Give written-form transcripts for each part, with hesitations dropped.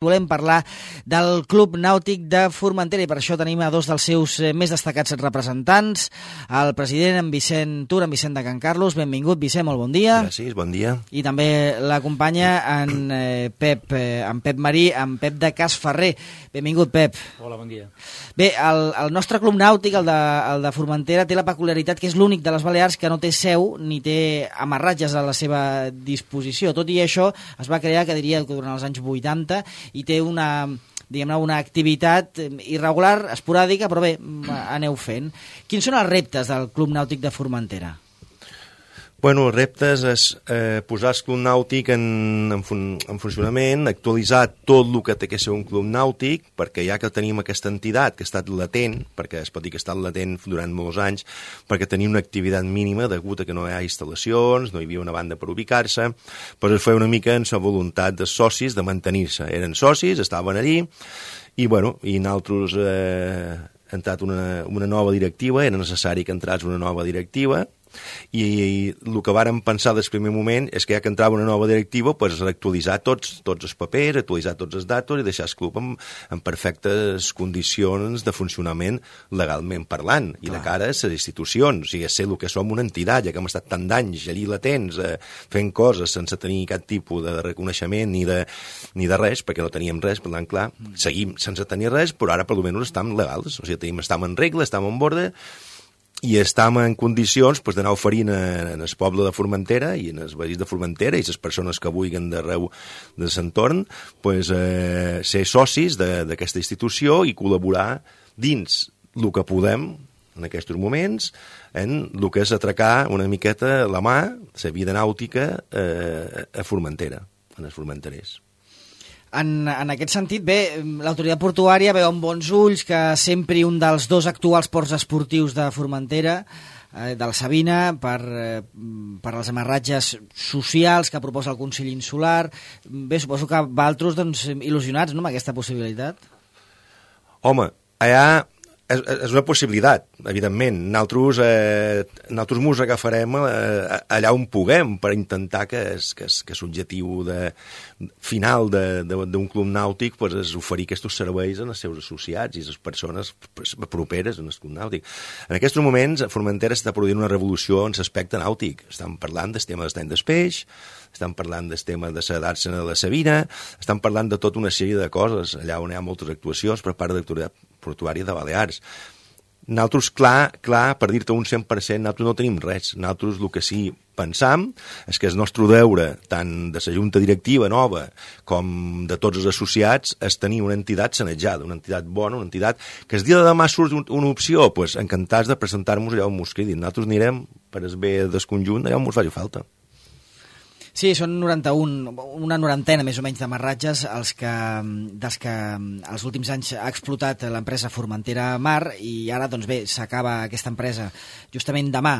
Volem parlar del Club Nàutic de Formentera i per això tenim a dos dels seus més destacats representants, el president, en Vicent Tur, en Vicent de Can Carlos. Benvingut, Vicent, molt bon dia. Gràcies, bon dia. I també l'acompanya en Pep Marí, en Pep de Cas Ferrer. Benvingut, Pep. Hola, bon dia. Bé, el nostre Club Nàutic, el de Formentera, té la peculiaritat que és l'únic de les Balears que no té seu ni té amarratges a la seva disposició. Tot i això, es va crear, que diria que durant els anys 80, i té una activitat irregular, esporàdica, però bé, aneu fent. Quins són els reptes del Club Nàutic de Formentera? Bueno, els reptes és posar el Club Nàutic en funcionament, actualitzar tot el que té que ser un club nàutic, perquè ja que tenim aquesta entitat que ha estat latent, perquè es pot dir que ha estat latent durant molts anys, perquè tenia una activitat mínima degut a que no hi ha instal·lacions, no hi havia una banda per ubicar-se, però es feia una mica en la voluntat dels socis de mantenir-se. Eren socis, estaven allí, i nosaltres entrat una nova directiva, era necessari que entrés una nova directiva, i el que vàrem pensar des del primer moment és que ja que entrava una nova directiva, pues, actualitzar tots els papers, actualitzar tots els datos i deixar el club en perfectes condicions de funcionament legalment parlant, i de cara a les institucions, o sigui, ser el que som una entitat, ja que hem estat tant d'anys allí latents, fent coses sense tenir cap tipus de reconeixement ni de res, perquè no teníem res, per tant, clar, seguim sense tenir res, però ara per almenys estem legals, o sigui, estem en regla, estem en borde, i estem en condicions d'anar oferint en el poble de Formentera i en els veïns de Formentera i les persones que vulguin d'arreu de l'entorn ser socis d'aquesta institució i col·laborar dins el que podem en aquests moments en el que és atracar una miqueta la mà, la vida nàutica a Formentera, en els formenterers. En aquest sentit, bé, l'autoritat portuària veu amb bons ulls que sempre un dels dos actuals ports esportius de Formentera, de la Sabina, per als amarratges socials que proposa el Consell Insular. Bé, suposo que vosaltres, doncs, il·lusionats, no?, amb aquesta possibilitat. Home, allà és una possibilitat, evidentment. Nosaltres mos agafarem allà on puguem per intentar que l'objectiu final d'un club nàutic és oferir aquests serveis als seus associats i a les persones properes en el club nàutic. En aquests moments, a Formentera s'està produint una revolució en l'aspecte nàutic. Estem parlant del tema d'estany del peix, estem parlant del tema de la dàrsena de la Sabina, estem parlant de tota una sèrie de coses, allà on hi ha moltes actuacions per part de l'autoritat portuària de Balears. Nosaltres, clar, per dir-te un 100%, nosaltres no tenim res. Nosaltres el que sí pensam és que el nostre deure, tant de la junta directiva nova com de tots els associats, és tenir una entitat sanejada, una entitat bona, una entitat que el dia de demà surt una opció, doncs encantats de presentar-nos allà on mos cridin. Nosaltres anirem per el bé del conjunt allà on mos faci falta. Sí, són una norantena més o menys d'amarratges dels que els últims anys ha explotat l'empresa Formentera Mar, i ara, doncs bé, s'acaba aquesta empresa. Justament demà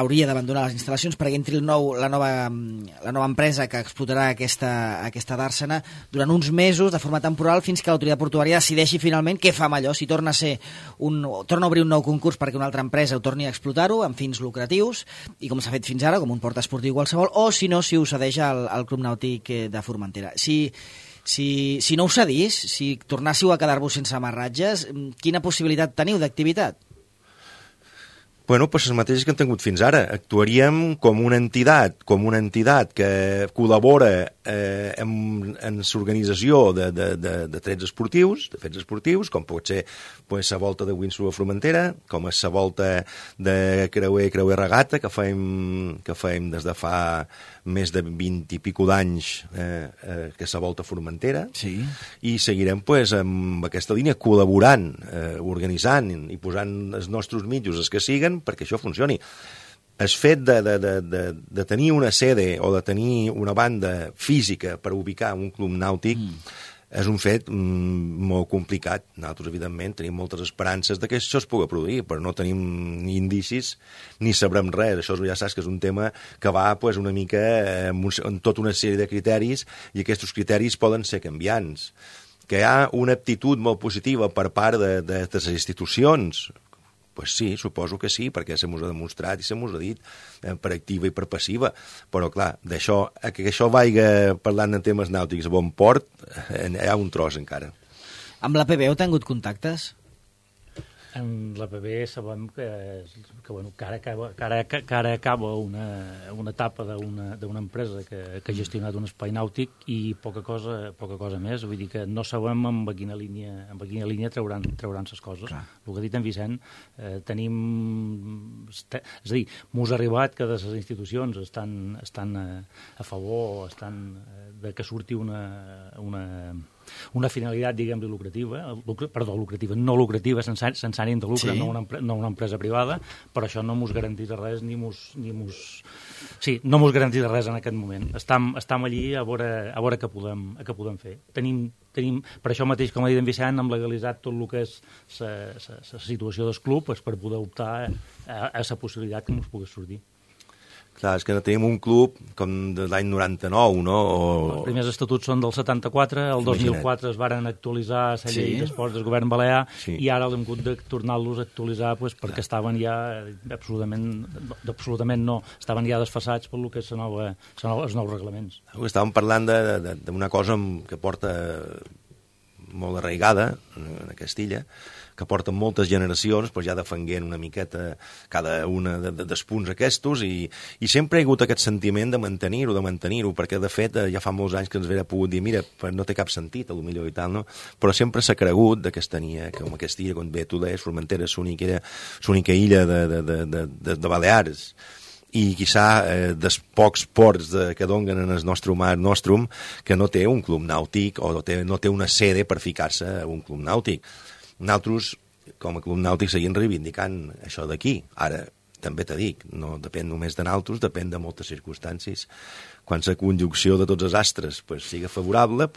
hauria d'abandonar les instal·lacions perquè entri la nova empresa que explotarà aquesta dàrsena durant uns mesos de forma temporal fins que l'autoritat portuària decideixi finalment què fa amb allò, si torna a obrir un nou concurs perquè una altra empresa ho torni a explotar-ho amb fins lucratius, i com s'ha fet fins ara, com un port esportiu qualsevol, o si no, si ho cedeix al Club Nàutic de Formentera. Si no ho cedís, si tornássiu a quedar-vos sense amarratges, quina possibilitat teniu d'activitat? Bueno, doncs les mateixes que hem tingut fins ara. Actuaríem com una entitat que col·labora en l'organització de trets esportius, de fets esportius, com pot ser la volta de Windsor a Formentera, com és la volta de creuer regata, que fem des de fa més de 20 i pico d'anys, que és la volta a Formentera, sí. I seguirem amb aquesta línia col·laborant, organitzant i posant els nostres mitjos, els que siguen, perquè això funcioni. El fet de tenir una sede o de tenir una banda física per ubicar un club nàutic és un fet molt complicat. Nosaltres, evidentment, tenim moltes esperances de que això es pugui produir, però no tenim ni indicis ni sabrem res. Això ja saps que és un tema que va una mica en tota una sèrie de criteris, i aquests criteris poden ser canviants. Que hi ha una actitud molt positiva per part de les institucions, Pues sí, suposo que sí, perquè se mos ha demostrat i se mos ha dit per activa i per passiva, però clar, d'això, que això vaiga parlant de temes nàutics a bon port, hi ha un tros encara. Amb la PB heu tingut contactes? En la PB sabem que ara acaba una etapa d'una empresa que ha gestionat un espai nàutic i poca cosa més. Vull dir que no sabem amb quina línia trauran ses coses. Clar. El que ha dit en Vicent, és a dir, m'us ha arribat que de les institucions estan a favor, de que surti una finalitat, diguem-li, lucrativa, no lucrativa, sense ànim de lucre, sí. no una empresa privada, però això no mos garanteix res no mos garanteix res en aquest moment. Estam allí a veure què podem fer. Tenim, per això mateix, com ha dit en Vicent, hem legalitzat tot el que és la situació del club per poder optar a la possibilitat que ens pugui sortir. Clar, és que no tenim un club com de l'any 99, no? Els primers estatuts són del 74, el 2004 es varen actualitzar la llei d'esports del govern balear i ara hem hagut de tornar-los a actualitzar perquè estaven ja absolutament no, estaven ja desfasats per lo que és els nous reglaments. Estàvem parlant d'una cosa que porta molt arraigada a Castilla, que porten moltes generacions, doncs ja defenguent una miqueta cada una dels punts aquests, i sempre hi ha hagut aquest sentiment de mantenir-ho, perquè de fet ja fa molts anys que ens haguera pogut dir, mira, no té cap sentit, potser i tal, no? Però sempre s'ha cregut que tenia, com aquesta illa, com bé tu deies, Formentera és l'única illa de Balears, i quizà dels pocs ports que donen en el nostre mar nostrum que no té un club nàutic o no té una sede per ficar-se a un club nàutic. Nosaltres, com a club nàutic, seguim reivindicant això d'aquí. Ara, també t'ho dic, no depèn només de nosaltres, depèn de moltes circumstàncies. Quan la conjunció de tots els astres sigui favorable,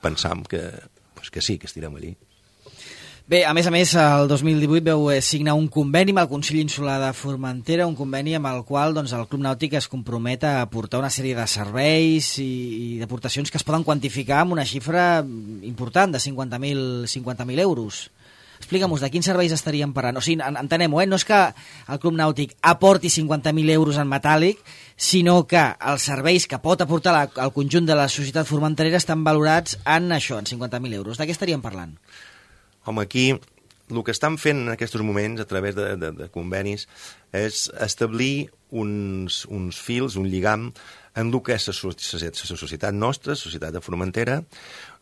pensam que sí, que estirem allí. Bé, a més, el 2018 veu signar un conveni amb el Consell Insular de Formentera, un conveni amb el qual el Club Nàutic es compromet a aportar una sèrie de serveis i d'aportacions que es poden quantificar amb una xifra important de 50.000 euros. Explica'm-nos, de quins serveis estaríem parlant? O sigui, entenem-ho, no és que el Club Nàutic aporti 50.000 euros en metàl·lic, sinó que els serveis que pot aportar al conjunt de la societat formenterera estan valorats en això, en 50.000 euros. De què estaríem parlant? Home, aquí el que estan fent en aquests moments a través de convenis és establir uns fils, un lligam en el que és la societat nostra, la societat de Formentera,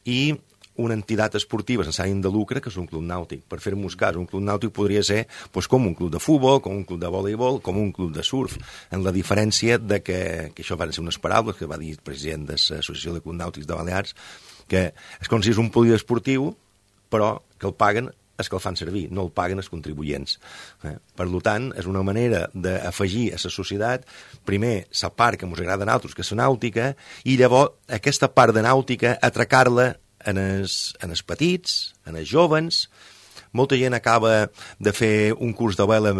i una entitat esportiva sense ànim de lucre, que és un club nàutic. Per fer-nos cas, un club nàutic podria ser com un club de futbol, com un club de voleibol, com un club de surf, en la diferència de que això van ser unes paraules que va dir el president de l'Associació de Clubs Nàutics de Balears, que és com si és un poliesportiu, però que el paguen els que el fan servir, no el paguen els contribuents. Per tant, és una manera d'afegir a la societat, primer, la part que ens agrada a nosaltres, que és la nàutica, i llavors aquesta part de nàutica atracar-la en els petits, en els jovens. Molta gent acaba de fer un curs de vela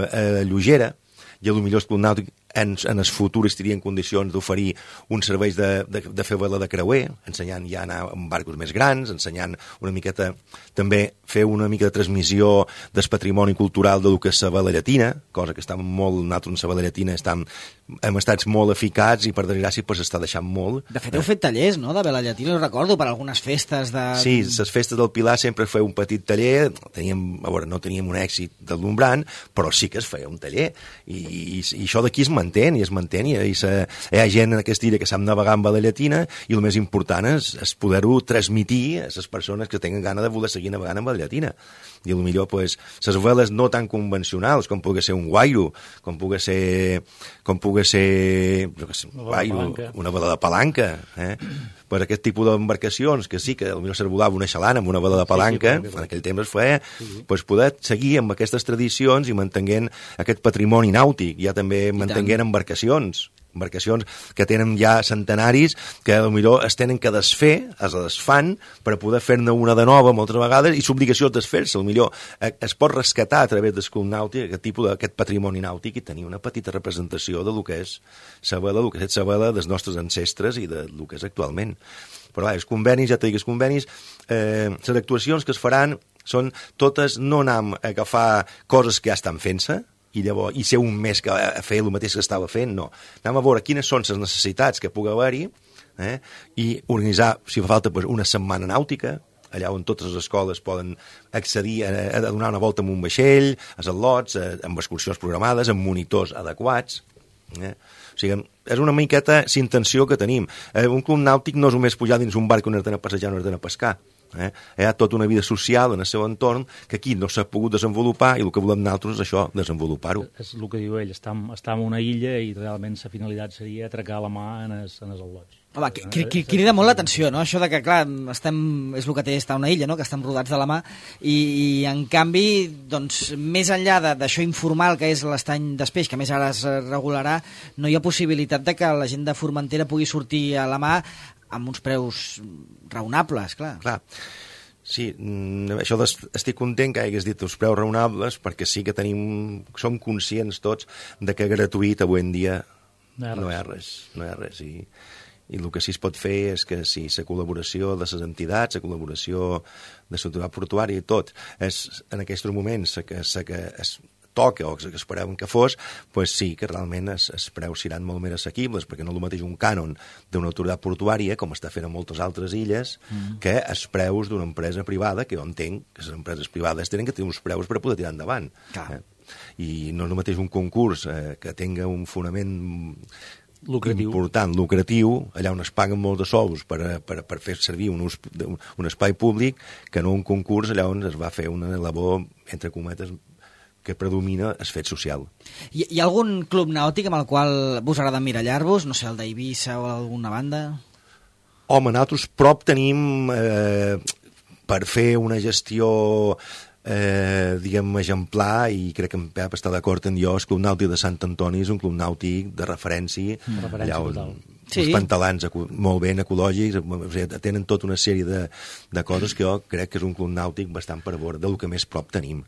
lleugera, i potser el Club Nàutic en el futur estaria en condicions d'oferir uns serveis de fer vela de creuer, ensenyant ja a anar amb barcos més grans, ensenyant una miqueta, també fer una mica de transmissió del patrimoni cultural de lo que és la vela llatina, cosa que està molt, nosaltres en la vela llatina hem estat molt eficats i per desgràcia s'està deixant molt. De fet, heu fet tallers, no?, de vela llatina, ho recordo, per algunes festes de... Sí, les festes del Pilar sempre feia un petit taller, no teníem un èxit deslumbrant, però sí que es feia un taller, i això d'aquí es mantén, i hi ha gent en aquesta illa que sap navegar amb vela llatina, i el més important és poder-ho transmitir a les persones que tenen gana de voler seguir navegant amb vela llatina. I potser les veles no tan convencionals, com pugui ser un guairo, com pugui ser una vela de palanca, per aquest tipus d'embarcacions, que sí que potser s'arbolava una xalana amb una vela de palanca, en aquell temps es feia, poder seguir amb aquestes tradicions i mantenint aquest patrimoni nàutic, ja també mantenint embarcacions embarcacions que tenen ja centenaris, que potser es tenen que desfer, es desfan per poder fer-ne una de nova moltes vegades, i l'obligació és desfer-se. Potser es pot rescatar a través del club nàutic aquest tipus d'aquest patrimoni nàutic i tenir una petita representació de lo que és la vela, el que és la vela dels nostres ancestres i de lo que és actualment. Però els convenis, ja t'he dit, els convenis, les actuacions que es faran són totes no anar a agafar coses que ja estan fent-se i ser un mes que a fer el mateix que estava fent, no. Anem a veure quines són les necessitats que pugui haver-hi i organitzar, si fa falta, una setmana nàutica, allà on totes les escoles poden accedir a donar una volta amb un vaixell, a al·lots, amb excursions programades, amb monitors adequats. O sigui, és una miqueta la intenció que tenim. Un club nàutic no és només pujar dins un barc on has d'anar a passejar, on has d'anar a pescar. Hi ha tota una vida social en el seu entorn que aquí no s'ha pogut desenvolupar i el que volem nosaltres és això, desenvolupar-ho. És el que diu ell, està en una illa i realment la finalitat seria atracar la mà en els al·lots. Home, crida molt l'atenció, no? Això de que, clar, és el que té estar a una illa, no? Que estem rodats de la mà, i en canvi, doncs, més enllà d'això informal que és l'estany d'Espeix, que més ara es regularà, no hi ha possibilitat de que la gent de Formentera pugui sortir a la mà amb uns preus raonables, clar. Clar. Sí, això estic content que hagués dit els preus raonables, perquè sí que som conscients tots de que gratuït avui en dia no hi ha res. I el que sí es pot fer és que si la col·laboració de les entitats, la col·laboració de l'autoritat portuària i tot, és en aquests moments que es toca o que esperàvem que fos, doncs sí que realment els preus seran molt més assequibles, perquè no és el mateix un cànon d'una autoritat portuària, com està fent a moltes altres illes, que els preus d'una empresa privada, que jo entenc que les empreses privades tenen que tenir uns preus per poder tirar endavant. I no és el mateix un concurs que tinga un fonament important, lucratiu, allà on es paguen molts de sous per fer servir un espai públic, que no un concurs allà on es va fer una labor, entre cometes, que predomina el fet social. Hi ha algun club nàutic amb el qual vos agrada emmirallar-vos? No sé, el d'Eivissa o alguna banda? Home, nosaltres prop tenim per fer una gestió diguem, exemplar, i crec que en Pep està d'acord en jo, el Club Nàutic de Sant Antoni és un club nàutic de referència, allà on els pantalans molt ben ecològics, tenen tota una sèrie de coses que jo crec que és un club nàutic bastant per veure del que més prop tenim.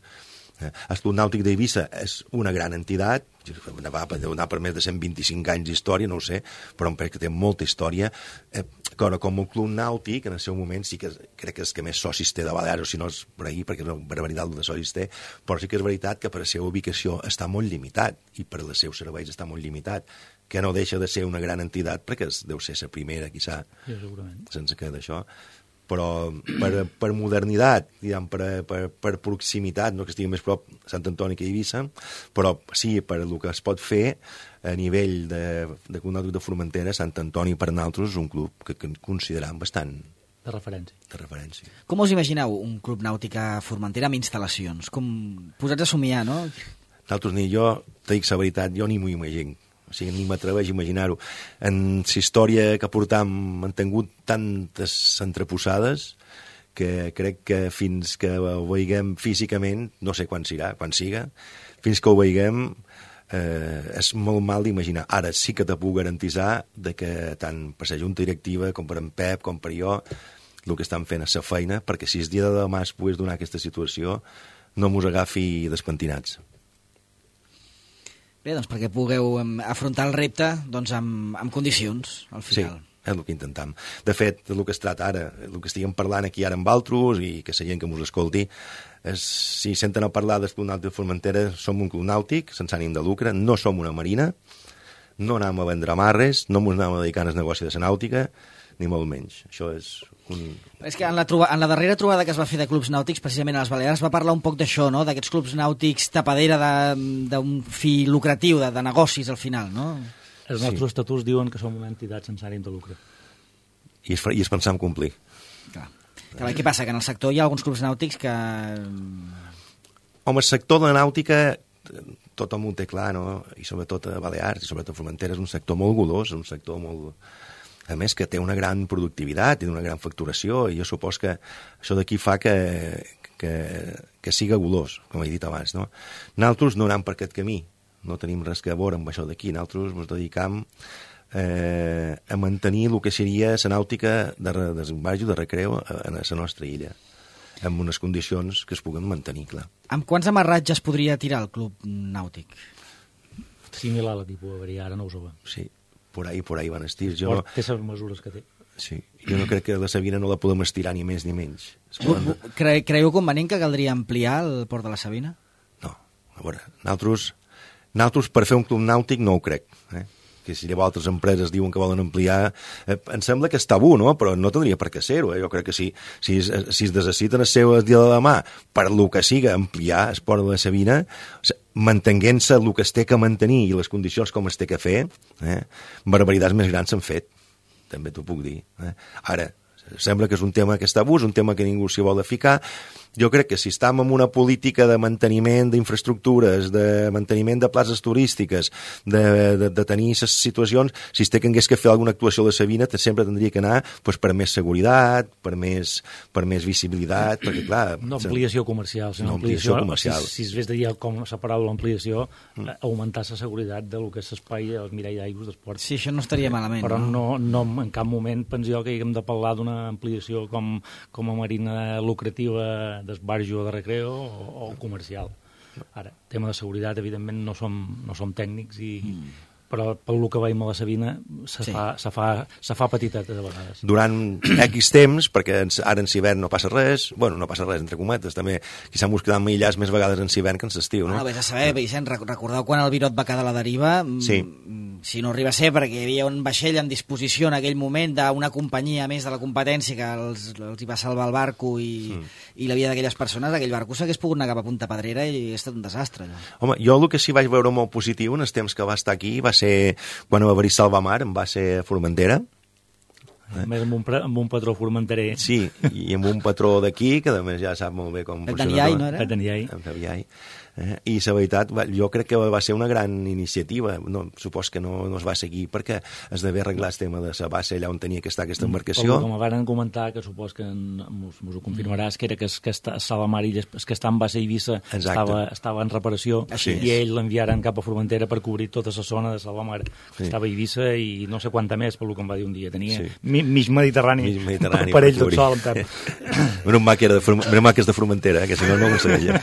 El Club Nàutic d'Eivissa és una gran entitat, deu anar per més de 125 anys d'història, no ho sé, però em crec que té molta història. Com el Club Nàutic, en el seu moment, sí que crec que és que més socis té de Balears, o si no és per ahir, perquè és una barbaritat de socis té, però sí que és veritat que per la seva ubicació està molt limitat, i per els seus serveis està molt limitat, que no deixa de ser una gran entitat, perquè deu ser la primera, quizà, sense que d'això. Però per modernitat, per proximitat, no que estigui més prop Sant Antoni que Eivissa, però sí, per el que es pot fer a nivell de Club Nàutic de Formentera, Sant Antoni per nosaltres és un club que considerem bastant de referència. Com us imagineu un club nàutic a Formentera amb instal·lacions? Posats a somiar, no? Nosaltres ni jo, t'ho dic la veritat, jo ni m'ho imagino. O sigui, ni m'atreveix a imaginar-ho. En la història que portam han tingut tantes entreposades que crec que fins que ho veiguem físicament, no sé quan siga, fins que ho veiguem és molt mal d'imaginar. Ara sí que te puc garantitzar que tant per la Junta Directiva com per en Pep, com per jo, el que estan fent és la feina, perquè si el dia de demà es pogués donar aquesta situació, no mos agafi despentinats. Bé, doncs perquè pugueu afrontar el repte doncs, amb condicions, al final. Sí, és el que intentem. De fet, el que es trata ara, el que estiguem parlant aquí ara amb altres i que la gent que mos escolti, si senten a parlar del Club Nàutic de Formentera, som un club nàutic sense ànim de lucre, no som una marina, no anem a vendre amarres, no ens anem a dedicar al negoci de la nàutica, ni molt menys. Això és És que en la darrera trobada que es va fer de clubs nàutics, precisament a les Balears, va parlar un poc d'això, no? D'aquests clubs nàutics tapadera d'un fi lucratiu, de negocis al final, no? Els nostres estatuts diuen que som una entitat sense ànim de lucre. I es pensar en complir. Clar. Què passa? Que en el sector hi ha alguns clubs nàutics que... Home, el sector de la nàutica tothom ho té clar, no? I sobretot a Balears i sobretot a Formentera és un sector molt golós, un sector molt... A més, que té una gran productivitat i una gran facturació, i jo supos que això d'aquí fa que siga golós, com he dit abans, no? Nosaltres no anem per aquest camí. no tenim res que veure amb això d'aquí. Nosaltres ens dedicam a mantenir el que seria la nàutica de desembarjo, de recreo a la nostra illa, amb unes condicions que es puguen mantenir, clar. Amb quants amarratges podria tirar el club nàutic? Similar a la tipus averia, ara no ho sabem. Sí, por ahí van estirs. Té les mesures que té. Sí, jo no crec que la Sabina no la podem estirar ni més ni menys. Creieu convenient que caldria ampliar el port de la Sabina? No, a veure, nosaltres per fer un club nàutic no ho crec, que si llavors altres empreses diuen que volen ampliar, em sembla que és tabú, no? Però no tindria per què ser-ho. Jo crec que si es necessiten el seu dia de demà per lo que siga ampliar el port de la Sabina, mantenint-se el que es té que mantenir i les condicions com es té que fer, barbaritats més grans s'han fet, també t'ho puc dir. Ara, sembla que és un tema que és tabú, és un tema que ningú s'hi vol ficar. Jo crec que si estem en una política de manteniment d'infraestructures, de manteniment de places turístiques, de tenir aquestes situacions, si es té que hagués que fer alguna actuació a la Sabina, sempre tindria que anar per més seguretat, per més visibilitat, perquè clar... No ampliació comercial, sinó ampliació comercial. Si es ves de dir com la paraula ampliació, augmentar la seguretat del que és l'espai al mirall d'aigües d'esport. Sí, això no estaria malament. Però no en cap moment penso jo que haguem de parlar d'una ampliació com a marina lucrativa d'esbarjo de recreo o comercial. Ara, tema de seguretat, evidentment, no som tècnics, però pel que veiem a la Sabina se fa petiteta de vegades. Durant X temps, perquè ara en hivern no passa res, no passa res, entre cometes, també quizà mos quedam aïllats més vegades en hivern que en l'estiu, no? Vés a saber, Vicent, recordeu quan el Virot va quedar a la deriva? Sí. Si no arriba a ser perquè hi havia un vaixell en disposició en aquell moment d'una companyia més de la competència que els hi va salvar el barco i la vida d'aquelles persones, aquell barco s'hagués pogut anar cap a Punta Pedrera i és tot un desastre. Allò. Home, jo el que sí vaig veure molt positiu en els temps que va estar aquí va ser quan va haver-hi salvamar, va ser a Formentera. Més amb un patró formenterer. Sí, i amb un patró d'aquí, que a més ja sap molt bé com funciona. No era? Pep Daniai. I la veritat, jo crec que va ser una gran iniciativa. Supos que no es va seguir perquè es devia arreglar el tema de la base allà on tenia que estar aquesta embarcació. Com van comentar, que supos que mos ho confirmaràs, que era que Salvamar i els que està en base Eivissa estava en reparació i ells l'enviaren cap a Formentera per cobrir tota la zona de Salvamar, que estava a Eivissa i no sé quanta més, pel que em va dir un dia. Tenia mig Mediterrani per ell tot sol, en Pep. Menys mal que és de Formentera, que si no ho sabia.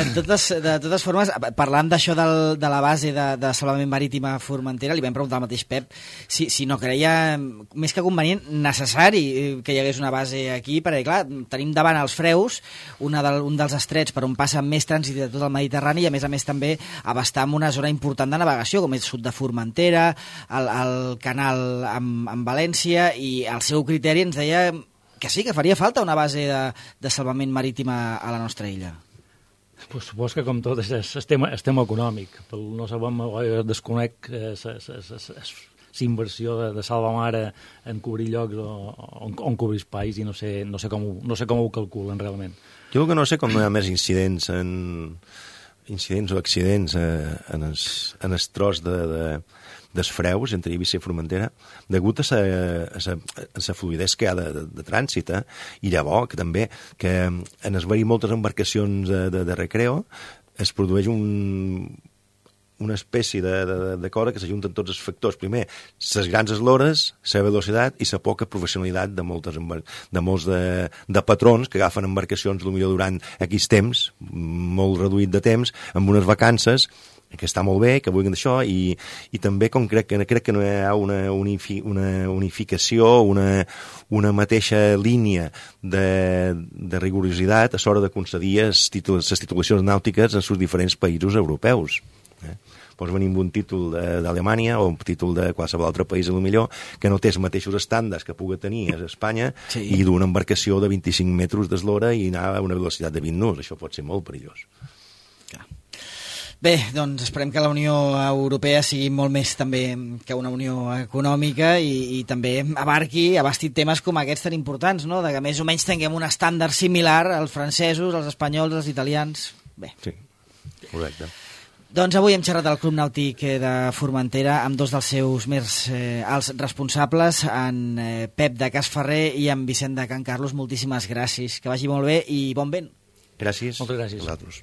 De totes formes, parlant d'això de la base de salvament marítim a Formentera, li vam preguntar al mateix Pep si no creia més que convenient, necessari que hi hagués una base aquí, perquè clar, tenim davant els Freus, un dels estrets per on passa més trànsit de tot el Mediterrani i a més també abastar amb una zona important de navegació, com és sud de Formentera, el canal amb València, i el seu criteri ens deia que sí, que faria falta una base de salvament marítim a la nostra illa. Pues supos que com tot és tema econòmic. No sabem, desconec l'inversió de Salvamar en cobrir llocs o en cobrir espais i no sé com ho calculen realment. Jo que no sé com no hi ha més incidents o accidents en el tros dels Freus, entre Eivissa i Formentera, degut a la fluidesa que hi ha de trànsit, i llavors que també que en es veure moltes embarcacions de recreo es produeix una espècie de cosa que s'ajunten tots els factors. Primer, les grans eslores, la velocitat i la poca professionalitat de molts de patrons que agafen embarcacions potser durant X temps, molt reduït de temps, amb unes vacances que està molt bé, que vulguin d'això, i també com crec que no hi ha una unificació, una mateixa línia de rigorositat a l'hora de concedir les titulacions nàutiques en els diferents països europeus. Pots venir amb un títol d'Alemanya o un títol de qualsevol altre país, potser que no té els mateixos estàndards que pugui tenir a Espanya, i d'una embarcació de 25 metres d'eslora i anar a una velocitat de 20 knots. Això pot ser molt perillós. Bé, doncs esperem que la Unió Europea sigui molt més també que una unió econòmica i també abasti temes com aquests tan importants, no? De que més o menys tinguem un estàndard similar als francesos, als espanyols, als italians. Bé. Sí, correcte. Doncs avui hem xerrat al Club Nàutic de Formentera amb dos dels seus més alts responsables, en Pep de Cas Ferrer i en Vicent de Can Carlos. Moltíssimes gràcies, que vagi molt bé i bon vent. Gràcies. Moltes gràcies. A vosaltres.